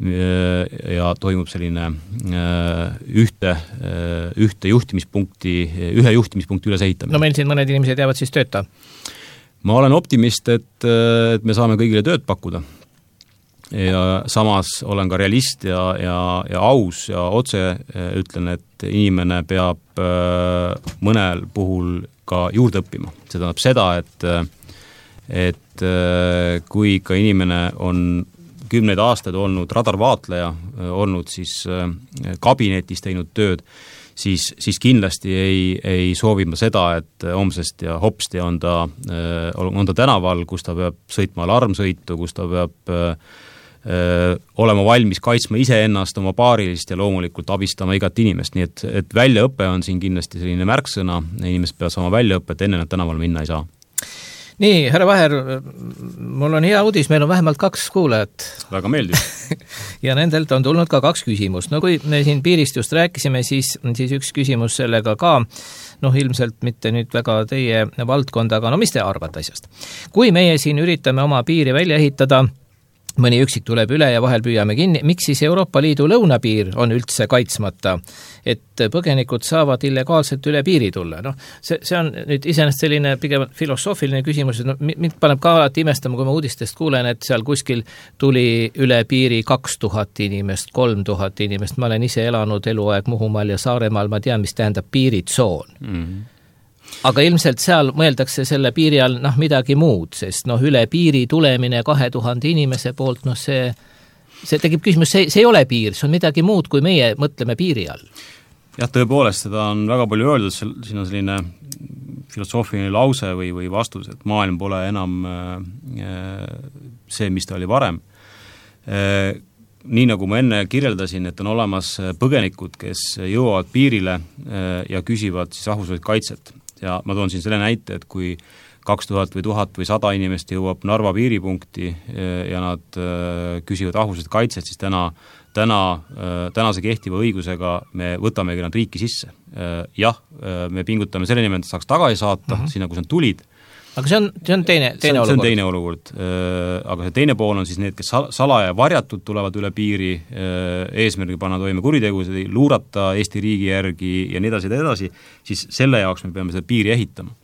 ja toimub selline ühe juhtimispunkti ülesehitamine. No meil siin mõned inimesed jäävad siis tööta? Ma olen optimist, et me saame kõigile tööd pakkuda. Ja samas olen ka realist ja aus ja otse ütlen, et inimene peab mõnel puhul ka juurde õppima. See tähendab seda, et kui ikka inimene on 10 aastaid olnud radarvaatleja, olnud siis kabinetis teinud tööd, siis kindlasti ei soovi ma seda, et homsest ja hopsti on ta tänaval, kus ta peab sõitma alarmsõitu, kus ta peab olema valmis kaitsma iseennast, oma paarilist ja loomulikult abistama igat inimest, nii et väljaõpe on siin kindlasti selline märksõna, inimesed peavad saama väljaõpet, enne nad tänaval minna ei saa. Nii, härra Vaher, mul on hea uudis, meil on vähemalt 2 kuulajat. Väga meeldib. Ja nendelt on tulnud ka 2 küsimust. No kui me siin piirist just rääkisime, siis üks küsimus sellega ka, ilmselt mitte nüüd väga teie valdkonda, aga mis te arvate asjast? Kui meie siin üritame oma piiri välja ehitada, mõni üksik tuleb üle ja vahel püüame kinni. Miks siis Euroopa Liidu lõunapiir on üldse kaitsmata, et põgenikud saavad illegaalselt üle piiri tulla? No, see on nüüd iseenesest selline pigem filosoofiline küsimus, et mind paneb ka alati imestama, kui ma uudistest kuulen, et seal kuskil tuli üle piiri 2000 inimest, 3000 inimest. Ma olen ise elanud eluaeg Muhumaal ja Saaremaal, ma tean, mis tähendab piiritsoon. Aga ilmselt seal mõeldakse selle piiri all midagi muud, sest üle piiri tulemine 2000 inimese poolt, see tekib küsimus, see ei ole piir, see on midagi muud, kui meie mõtleme piiri all. Jah, tõepoolest, seda on väga palju öeldud, siin on selline filosoofiline lause või vastus, et maailm pole enam see, mis ta oli varem. Nii nagu ma enne kirjeldasin, et on olemas põgenikud, kes jõuavad piirile ja küsivad siis rahvusvahelist kaitset. Ja ma toon siin selle näite, et kui 2000 või 1000 või 100 inimest jõuab Narva piiripunkti ja nad küsivad rahvusvahelist kaitset, siis tänase kehtiva õigusega me võtamegi nad riiki sisse. Jah, me pingutame selle nimel, et saaks tagasi saata sinna, kus nad tulid. Aga see on teine olukord. See on teine olukord. Aga see teine pool on siis need, kes salaja varjatud tulevad üle piiri, eesmärgi panna toime kuritegusid, luurata Eesti riigi järgi ja nii edasi, siis selle jaoks me peame seda piiri ehitama.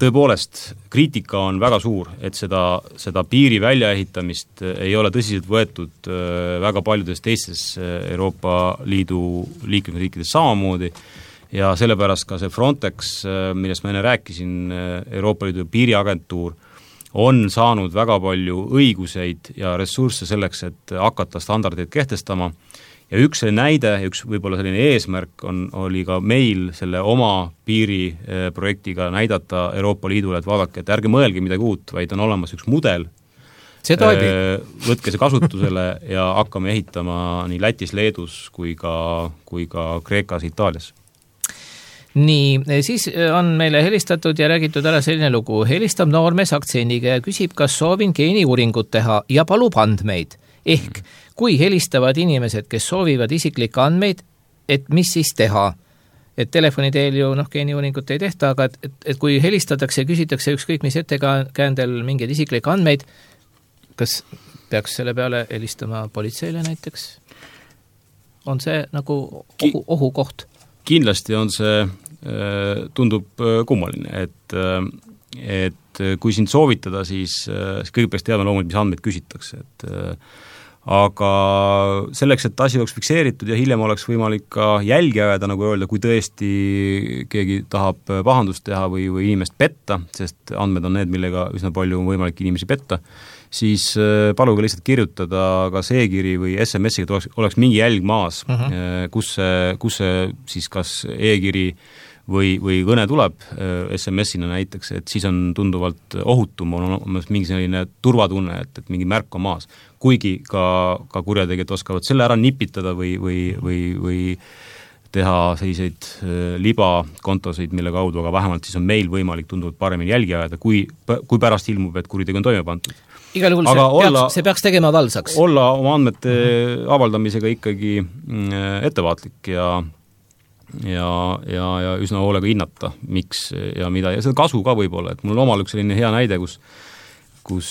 Tõepoolest, kriitika on väga suur, et seda piiri väljaehitamist ei ole tõsiselt võetud väga paljudes teistes Euroopa Liidu liikmesriikides samamoodi. Ja sellepärast ka see Frontex, millest ma enne rääkisin, Euroopa Liidu piiriagentuur, on saanud väga palju õiguseid ja ressursse selleks, et hakata standardeid kehtestama. Ja üks selline näide, üks võib-olla selline eesmärk oli ka meil selle oma piiriprojektiga näidata Euroopa Liidule, et vaadake, et ärge mõelge midagi uut, vaid on olemas üks mudel. See toimib. Võtke see kasutusele ja hakkame ehitama nii Lätis, Leedus kui ka Kreekas, Itaalias. Nii, siis on meile helistatud ja räägitud ära selline lugu. Helistab noormees aktsendiga ja küsib, kas soovin geeniuuringut teha ja palub andmeid. Ehk, kui helistavad inimesed, kes soovivad isiklikke andmeid, et mis siis teha? Et telefoni teel ju geeniuuringut ei tehta, aga et kui helistatakse ja küsitakse ükskõik mis ettekäändel mingeid isiklikke andmeid, kas peaks selle peale helistama politseile näiteks? On see nagu ohukoht? Kindlasti on see, tundub kummaline, et kui sind soovitada, siis kõige peaks teadma loomulikult, mis andmeid küsitakse, aga selleks, et asi oleks fikseeritud ja hiljem oleks võimalik ka jälgi ajada, nagu öelda, kui tõesti keegi tahab pahandust teha või inimest petta, sest andmed on need, millega üsna palju on võimalik inimesi petta, siis paluge lihtsalt kirjutada kas e-kiri või SMS-iga, et oleks mingi jälg maas, kus see siis kas e-kiri või kõne tuleb SMS-ina näiteks, et siis on tunduvalt ohutum, on mingi selline turvatunne, et mingi märk on maas. Kuigi ka kurjategijad oskavad selle ära nipitada või teha selliseid libakontosid, mille kaudu, aga vähemalt siis on meil võimalik tunduvalt paremini jälgi ajada, kui pärast ilmub, et kuritegu on toime pandud. Igal juhul see peaks tegema valsaks. Olla oma andmete avaldamisega ikkagi ettevaatlik ja üsna hoolega hinnata, miks ja mida, ja seda kasu ka võib-olla, et mul on omal üks selline hea näide, kus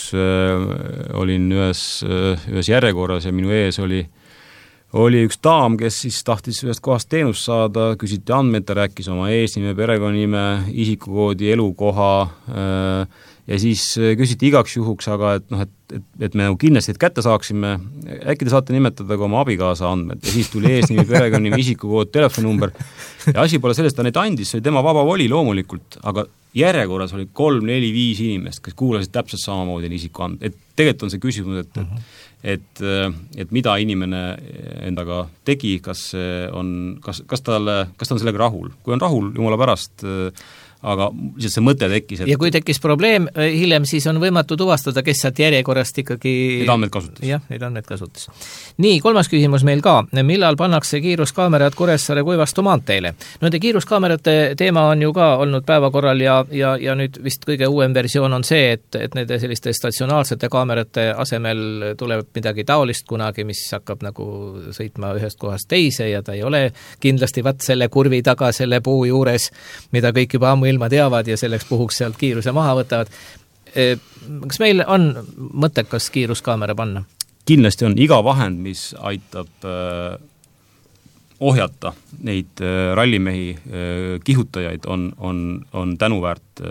olin ühes järjekorras ja minu ees oli üks daam, kes siis tahtis ühest kohast teenust saada, küsiti andmeid, ta rääkis oma eesnime, perekonnanime, isikukoodi, elukoha ja siis küsiti igaks juhuks, aga et me kindlasti kätte saaksime, äkki te saate nimetada ka oma abikaasa andmed ja siis tuli eesnimi, perekonnanime, isikukood, telefoninumber ja asi pole sellest, ta neid andis, see oli tema vaba voli loomulikult, aga järjekorras oli 3, 4, 5 inimest, kes kuulasid täpselt samamoodi isikuandmed, et tegelikult on see küsimus, et mida inimene endaga tegi, kas ta on sellega rahul. Kui on rahul, jumala pärast, aga lihtsalt see mõte tekkis. Ja kui tekkis probleem, hiljem siis on võimatu tuvastada, kes sealt järjekorrast ikkagi... Neid andmed kasutas. Jah, neid andmed kasutas. Nii, 3. küsimus meil ka. Millal pannakse kiiruskaamerad Kuressaare Kuivastu maanteele? Nende kiiruskaamerate teema on ju ka olnud päevakorral ja nüüd vist kõige uuem versioon on see, et nende selliste statsionaarsete kaamerate asemel tuleb midagi taolist kunagi, mis hakkab nagu sõitma ühest kohast teise ja ta ei ole kindlasti selle kurvi taga, selle puu juures, mida kõik juba ammu ilma teavad ja selleks puhuks sealt kiiruse maha võtavad. Kas meil on mõttekas kiiruskaamera panna? Kindlasti on iga vahend, mis aitab ohjata neid rallimehi kihutajaid, on tänuväärt.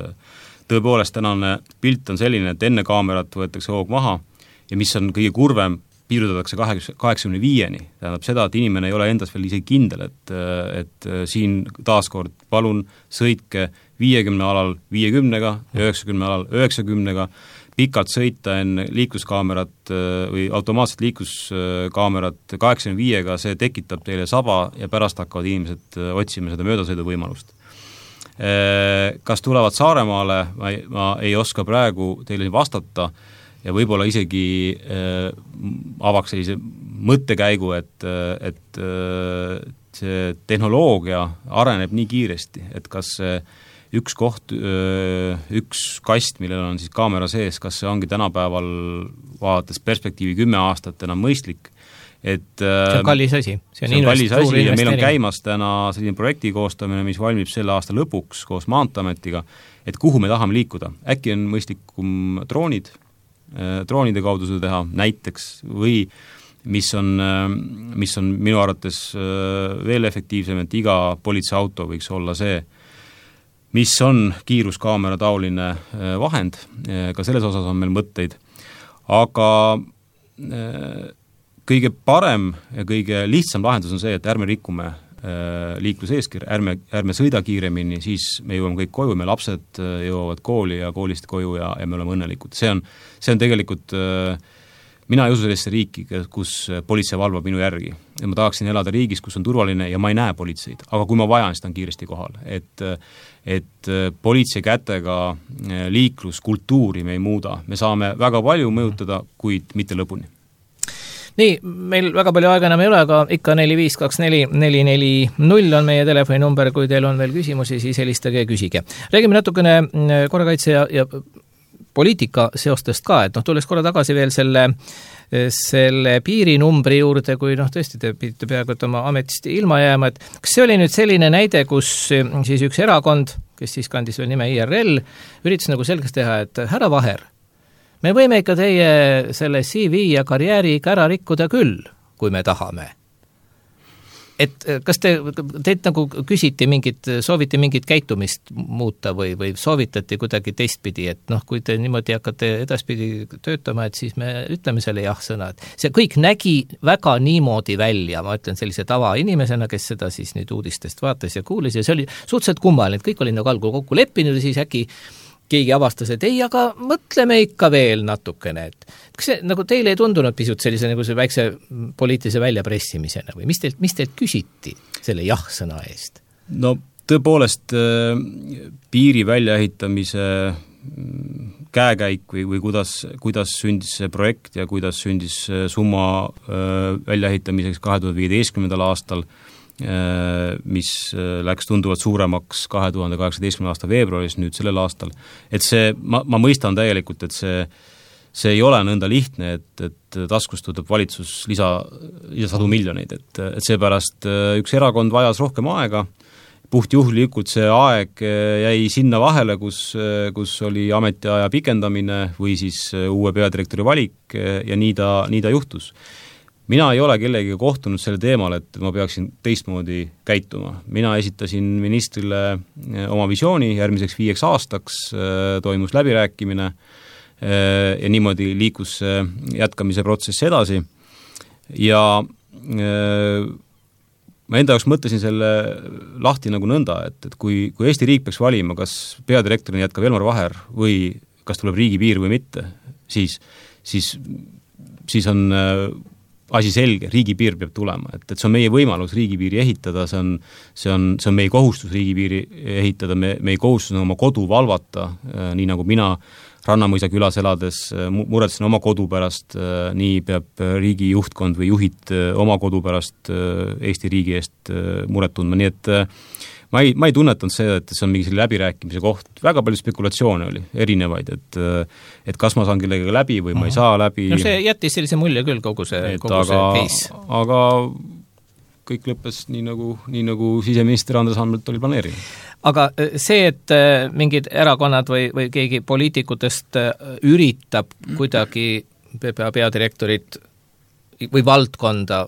Tõepoolest, tänane pilt on selline, et enne kaamerat võetakse hoog maha ja mis on kõige kurvem, piirutatakse 85-ni. Tähendab seda, et inimene ei ole endas veel isegi kindel, et siin taaskord palun sõitke 50 alal 50-ga, 90 alal 90-ga, pikalt sõita enne liikluskaamerat või automaatset liikluskaamerat 85-ga, see tekitab teile saba ja pärast hakkavad inimesed otsima seda möödasõidu võimalust. Kas tulevad Saaremaale, ma ei oska praegu teile vastata ja võib-olla isegi avaks sellise mõttekäigu, et see tehnoloogia areneb nii kiiresti, et kas üks koht, üks kast, millel on siis kaamera sees, kas see ongi tänapäeval vaadates perspektiivi 10 aastat enam mõistlik, et see on kallis asi. See on kallis asi ja meil on käimas täna selline projekti koostamine, mis valmib selle aasta lõpuks koos Maanteeametiga, et kuhu me tahame liikuda. Äkki on mõistlikum droonide kaudu seda teha näiteks või mis on minu arvates veel efektiivsem, et iga politseiauto võiks olla see, mis on kiiruskaamera taoline vahend, ka selles osas on meil mõtteid, aga kõige parem ja kõige lihtsam lahendus on see, et ärme rikume liikluseeskir, ärme sõida kiiremini, siis me jõuame kõik koju, me lapsed jõuavad kooli ja koolist koju ja me oleme õnnelikud. See on tegelikult, mina ei usu sellesse riiki, kus politsei valvab minu järgi. Ja ma tahaksin elada riigis, kus on turvaline ja ma ei näe politseid, aga kui ma vajan, siis ta on kiiresti kohal. Et politsei kätega liikluskultuuri me ei muuda. Me saame väga palju mõjutada, kuid mitte lõpuni. Nii, meil väga palju aega enam ei ole, aga ikka 4524440 on meie telefoninumber, kui teil on veel küsimusi, siis helistage ja küsige. Räägime natukene korrakaitse ja poliitika seostest ka, et tulles korra tagasi veel selle piirinumbri juurde, kui tõesti te pidite peaaegu oma ametist ilma jääma, et kas see oli nüüd selline näide, kus siis üks erakond, kes siis kandis veel nime IRL, üritas nagu selgeks teha, et härra Vaher, me võime ikka teie selle CV ja karjääri ikka ära rikkuda küll, kui me tahame. Et kas teilt nagu sooviti mingit käitumist muuta või soovitati kuidagi teistpidi, et kui te niimoodi hakkate edaspidi töötama, et siis me ütleme selle jah-sõna. See kõik nägi väga niimoodi välja, ma ütlen sellise tavainimesena, kes seda siis nüüd uudistest vaatas ja kuulis ja see oli suhteliselt kummaline, et kõik oli nagu algul kokku leppinud ja siis äkki keegi avastas, et ei, aga mõtleme ikka veel natukene, et kas see nagu teile ei tundunud pisut sellise nagu see väikse poliitilise väljapressimisena või mis teilt küsiti selle jah-sõna eest? No tõepoolest piiri väljaehitamise käekäik või kuidas sündis see projekt ja kuidas sündis summa väljaehitamiseks 2015. aastal, mis läks tunduvalt suuremaks 2018. aasta veebruaris nüüd sellel aastal, et see, ma mõistan täielikult, et see ei ole nõnda lihtne, et taskust võtab valitsus lisasadu miljoneid, et seepärast üks erakond vajas rohkem aega, puhtjuhlikult see aeg jäi sinna vahele, kus oli ametiaja pikendamine või siis uue peadirektori valik ja nii ta juhtus. Mina ei ole kellegiga kohtunud selle teemal, et ma peaksin teistmoodi käituma. Mina esitasin ministrile oma visiooni järgmiseks 5 aastaks, toimus läbirääkimine ja niimoodi liikus jätkamise protsess edasi. Ja ma enda jaoks mõtlesin selle lahti nagu nõnda, et kui Eesti riik peaks valima, kas peadirektorina jätkab Elmar Vaher või kas tuleb riigipiir või mitte, siis on asi selge, riigipiir peab tulema, et see on meie võimalus riigipiiri ehitada, see on meie kohustus riigipiiri ehitada, meie kohustus on oma kodu valvata, nii nagu mina Rannamõisa külas elades muretsen oma kodu pärast, nii peab riigi juhtkond või juhid oma kodu pärast Eesti riigi eest muret tundma, nii et ma ei tunnetanud see, et see on mingi selle läbirääkimise koht. Väga palju spekulatsioone oli, erinevaid, et kas ma saan kellega läbi või ma ei saa läbi. No see jättis sellise mulje küll kogu see case. Aga kõik lõppes nii nagu siseminister Andres Anvelt oli planeerinud. Aga see, et mingid erakonnad või keegi poliitikutest üritab kuidagi PPA peadirektorit või valdkonda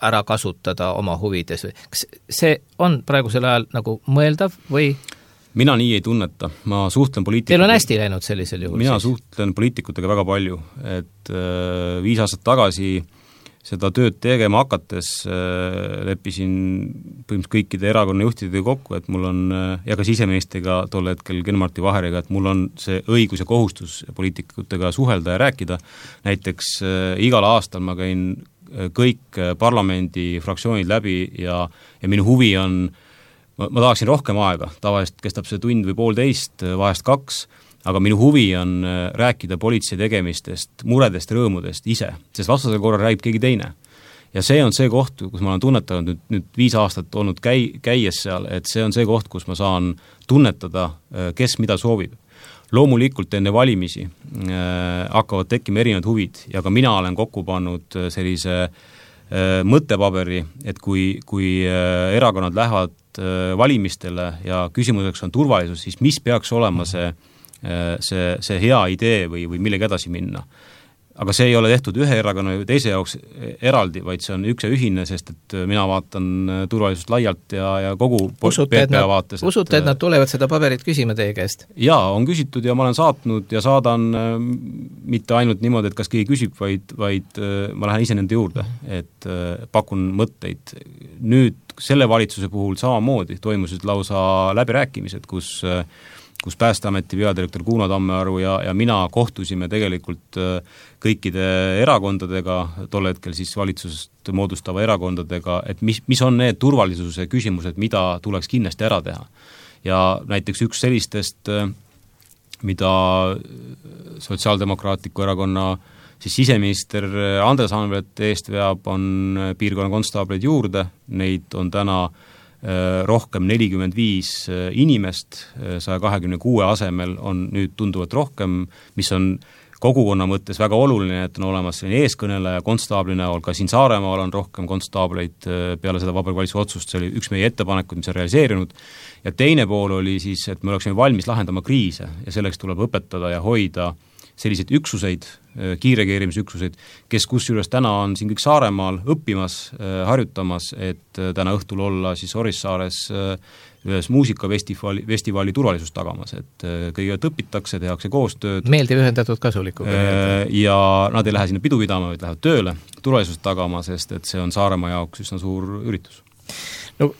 ära kasutada oma huvides, kas see on praegusel ajal nagu mõeldav või? Mina nii ei tunneta, ma suhtlen poliitikutega. Teil on hästi läinud sellisel juhul? Mina suhtlen poliitikutega väga palju, et 5 aastat tagasi seda tööd tegema hakates leppisin põhimõtteliselt kõikide erakonna juhtidega kokku, et mul on, ja ka siseministriga tol hetkel Ken-Marti Vaheriga, et mul on see õigus ja kohustus poliitikutega suhelda ja rääkida. Näiteks igal aastal ma käin kõik parlamendi fraktsioonid läbi ja minu huvi on ma tahaksin rohkem aega, tavaliselt kestab see tund või poolteist, vahest 2, aga minu huvi on rääkida politsei tegemistest, muredest, rõõmudest ise, sest vastasel korral räägib keegi teine. Ja see on see koht, kus ma olen tunnetanud nüüd 5 aastat olnud käies seal, et see on see koht, kus ma saan tunnetada, kes mida soovib. Loomulikult enne valimisi hakkavad tekkima erinevad huvid ja ka mina olen kokku pannud sellise mõttepaberi, et kui erakonnad lähevad valimistele ja küsimuseks on turvalisus, siis mis peaks olema see hea idee või millega edasi minna. Aga see ei ole tehtud ühe erakonna või teise jaoks eraldi, vaid see on üks ja ühine, sest et mina vaatan turvalisust laialt ja kogu PPA vaates. Usute, et nad tulevad seda paberit küsima teie käest? Jaa, on küsitud ja ma olen saatnud ja saadan mitte ainult niimoodi, et kas keegi küsib, vaid ma lähen ise nende juurde, et pakun mõtteid. Nüüd selle valitsuse puhul samamoodi toimusid lausa läbirääkimised, kus Päästeameti peadirektor Kuno Tammearu ja mina kohtusime tegelikult kõikide erakondadega, tol hetkel siis valitsusest moodustava erakondadega, et mis on need turvalisuse küsimused, mida tuleks kindlasti ära teha. Ja näiteks üks sellistest, mida Sotsiaaldemokraatliku erakonna siis siseminister Andres Anvelt eest veab, on piirkonna konstaableid juurde, neid on täna rohkem 45 inimest, 126 asemel on nüüd tunduvalt rohkem, mis on kogukonna mõttes väga oluline, et on olemas selline eeskõneleja konstaabli näol, ka siin Saaremaal on rohkem konstaableid peale seda Vabariigi Valitsuse otsust, see oli üks meie ettepanekud, mis on realiseerinud, ja teine pool oli siis, et me oleksime valmis lahendama kriise ja selleks tuleb õpetada ja hoida selliseid üksuseid, kiirekeerimisüksuseid, kes kusjuures täna on siin kõik Saaremaal õppimas, harjutamas, et täna õhtul olla siis Orissaares ühes muusikafestivali turvalisust tagamas, et kõigepealt õpitakse, tehakse koostööd. Meeldiv ühendatud kasulikuga. Ja nad ei lähe sinna pidu pidama, vaid lähevad tööle turvalisust tagama, sest et see on Saaremaa jaoks üsna suur üritus. No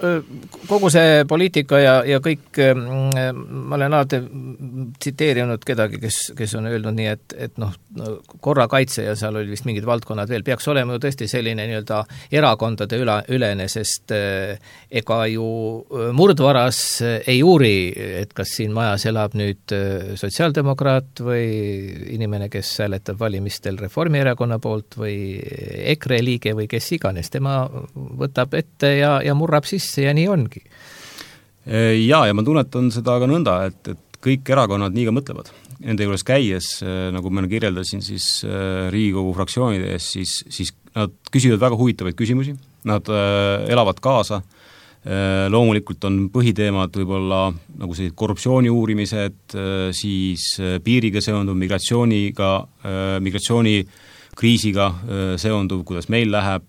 kogu see poliitika ja kõik, ma olen alati tsiteerinud kedagi, kes on öelnud nii, et korrakaitse ja seal oli vist mingid valdkonnad veel, peaks olema ju tõesti selline nii-öelda erakondade ülene, sest ega ju murdvaras ei uuri, et kas siin majas elab nüüd sotsiaaldemokraat või inimene, kes hääletab valimistel Reformierakonna poolt või EKRE liige või kes iganes, tema võtab ette ja murrab sisse ja nii ongi. Ja ma tunnetan seda ka nõnda, et kõik erakonnad nii ka mõtlevad. Nende juures käies, nagu ma kirjeldasin siis Riigikogu fraktsioonide ees, siis nad küsivad väga huvitavaid küsimusi, nad elavad kaasa, loomulikult on põhiteemad võib-olla nagu sellised korruptsiooni uurimised, siis piiriga seonduv, migratsioonikriisiga seonduv, kuidas meil läheb,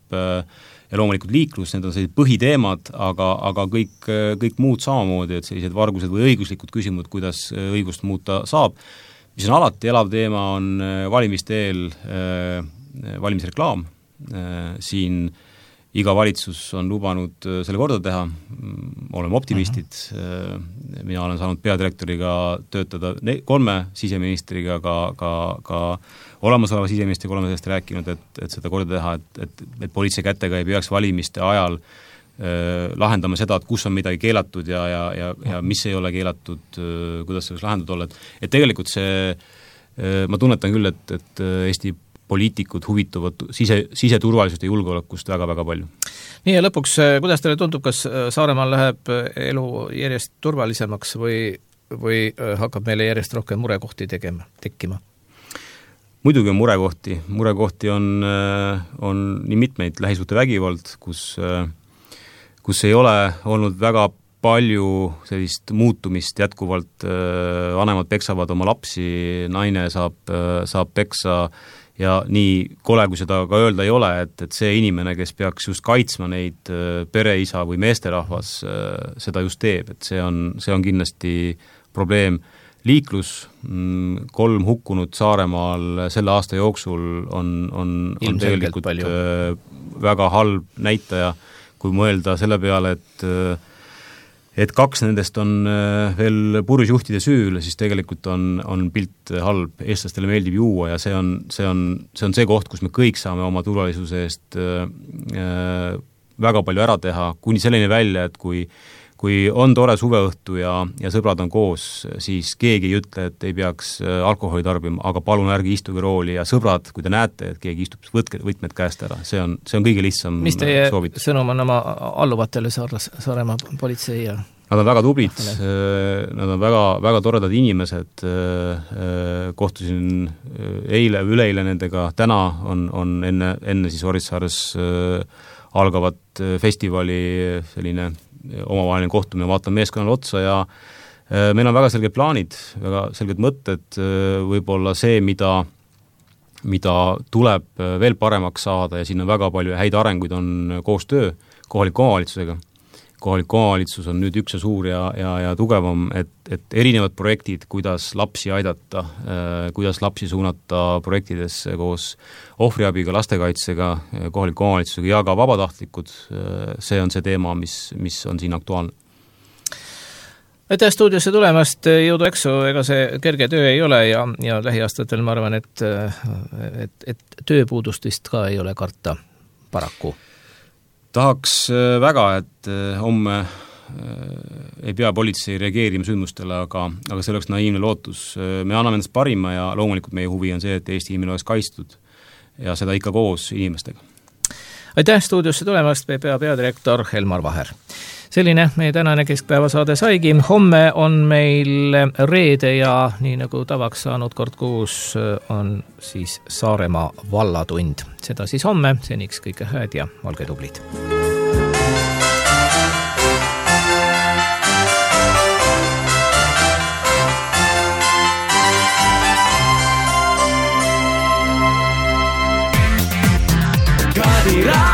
ja loomulikult liiklus, need on sellised põhiteemad, aga kõik muud samamoodi, et sellised vargused või õiguslikud küsimused, kuidas õigust muuta saab. Mis on alati elav teema, on valimiste eel valimisreklaam. Siin iga valitsus on lubanud selle korda teha, oleme optimistid, mina olen saanud peadirektoriga töötada 3 siseministriga, ka olemasoleva siseministriga oleme sellest rääkinud, et seda korda teha, et politsei kätega ei peaks valimiste ajal lahendama seda, et kus on midagi keelatud ja mis ei ole keelatud, kuidas see võiks lahendatud olla. Et tegelikult see, ma tunnetan küll, et Eesti poliitikud huvituvad siseturvalisust ja julgeolekust väga-väga palju. Nii ja lõpuks, kuidas teile tundub, kas Saaremaal läheb elu järjest turvalisemaks või hakkab meile järjest rohkem murekohti tekkima? Muidugi on murekohti on nii mitmeid, lähisuhtevägivald, kus kus ei ole olnud väga palju sellist muutumist jätkuvalt, vanemad peksavad oma lapsi, naine saab peksa ja nii kole, kui seda ka öelda ei ole, et see inimene, kes peaks just kaitsma neid pereisa või meesterahvas, seda just teeb, et see on kindlasti probleem. Liiklus, 3 hukkunut Saaremaal selle aasta jooksul on tegelikult palju. Väga halb näitaja, kui mõelda selle peale, et 2 nendest on veel purjusjuhtide süül, siis tegelikult on pilt halb. Eestlastele meeldib juua ja see on see koht, kus me kõik saame oma turvalisuse eest väga palju ära teha, kuni selleni välja, et kui on tore suveõhtu ja sõbrad on koos, siis keegi ei ütle, et ei peaks alkoholi tarbima, aga palun ärge istuge rooli ja sõbrad, kui te näete, et keegi istub, võtke võtmed käest ära. See on kõige lihtsam soovitus. Mis teie sõnum on oma alluvatele Saaremaa politsei ja... Nad on väga tublid, nad on väga, väga toredad inimesed, kohtusin üleeile nendega, täna on enne siis Orissaares algavat festivali selline omavaheline kohtumine, vaatan meeskonnale otsa ja meil on väga selged plaanid, väga selged mõtted, võib-olla see, mida tuleb veel paremaks saada ja siin on väga palju häid arenguid, on koostöö kohaliku omavalitsusega. Kohalik omavalitsus on nüüd üks ja suur ja tugevam, et erinevad projektid, kuidas lapsi aidata, kuidas lapsi suunata projektidesse koos ohvriabiga, lastekaitsega, kohaliku omavalitsusega ja ka vabatahtlikud, see on see teema, mis on siin aktuaalne. Aitäh stuudiosse tulemast, jõudu eksu, ega see kerge töö ei ole ja lähiaastatel ma arvan, et tööpuudustist ka ei ole karta paraku. Tahaks väga, et homme ei pea politsei reageerima sündmustele, aga see oleks naiivne lootus. Me anname endast parima ja loomulikult meie huvi on see, et Eesti inimene oleks kaitstud ja seda ikka koos inimestega. Aitäh stuudiosse tulemast, PPA peadirektor Elmar Vaher. Selline meie tänane keskpäevasaade saigi. Homme on meil reede ja nii nagu tavaks saanud kord kuus on siis Saaremaa vallatund. Seda siis homme, seniks kõike hääd ja olge tublid. Kadira